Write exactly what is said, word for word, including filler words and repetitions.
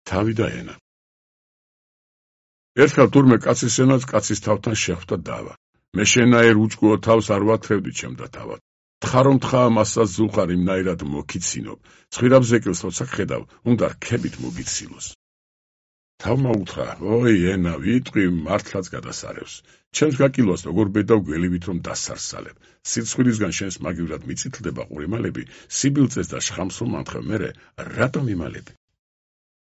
თავი და ენა. ერთხელ თურმე კაცის ენაც კაცის თავთან შეხვდა დავა. მე შენაერ უჭკუო თავს არ ვათრევდი ჩემდა თავად. თხარო თხაა მასას ზულხარ იმნაირად მოგიცინობ. ცხვირაბ ზეკილს როცა ხედავ, უნდა რქებით მოგიცილოს. თავმა უთხრა, ოი ენა, ვიტყვი მართლაც გადასარევს. ჩემს გაკილოს როგორ ბედავ გველივით რომ დასარსალებ. სიცხვირისგან შენს მაგივრად მიწითლდება ყურიმალები, სიბილწეს და შხამს რომ ამთხევ მერე, რატომ იმალები?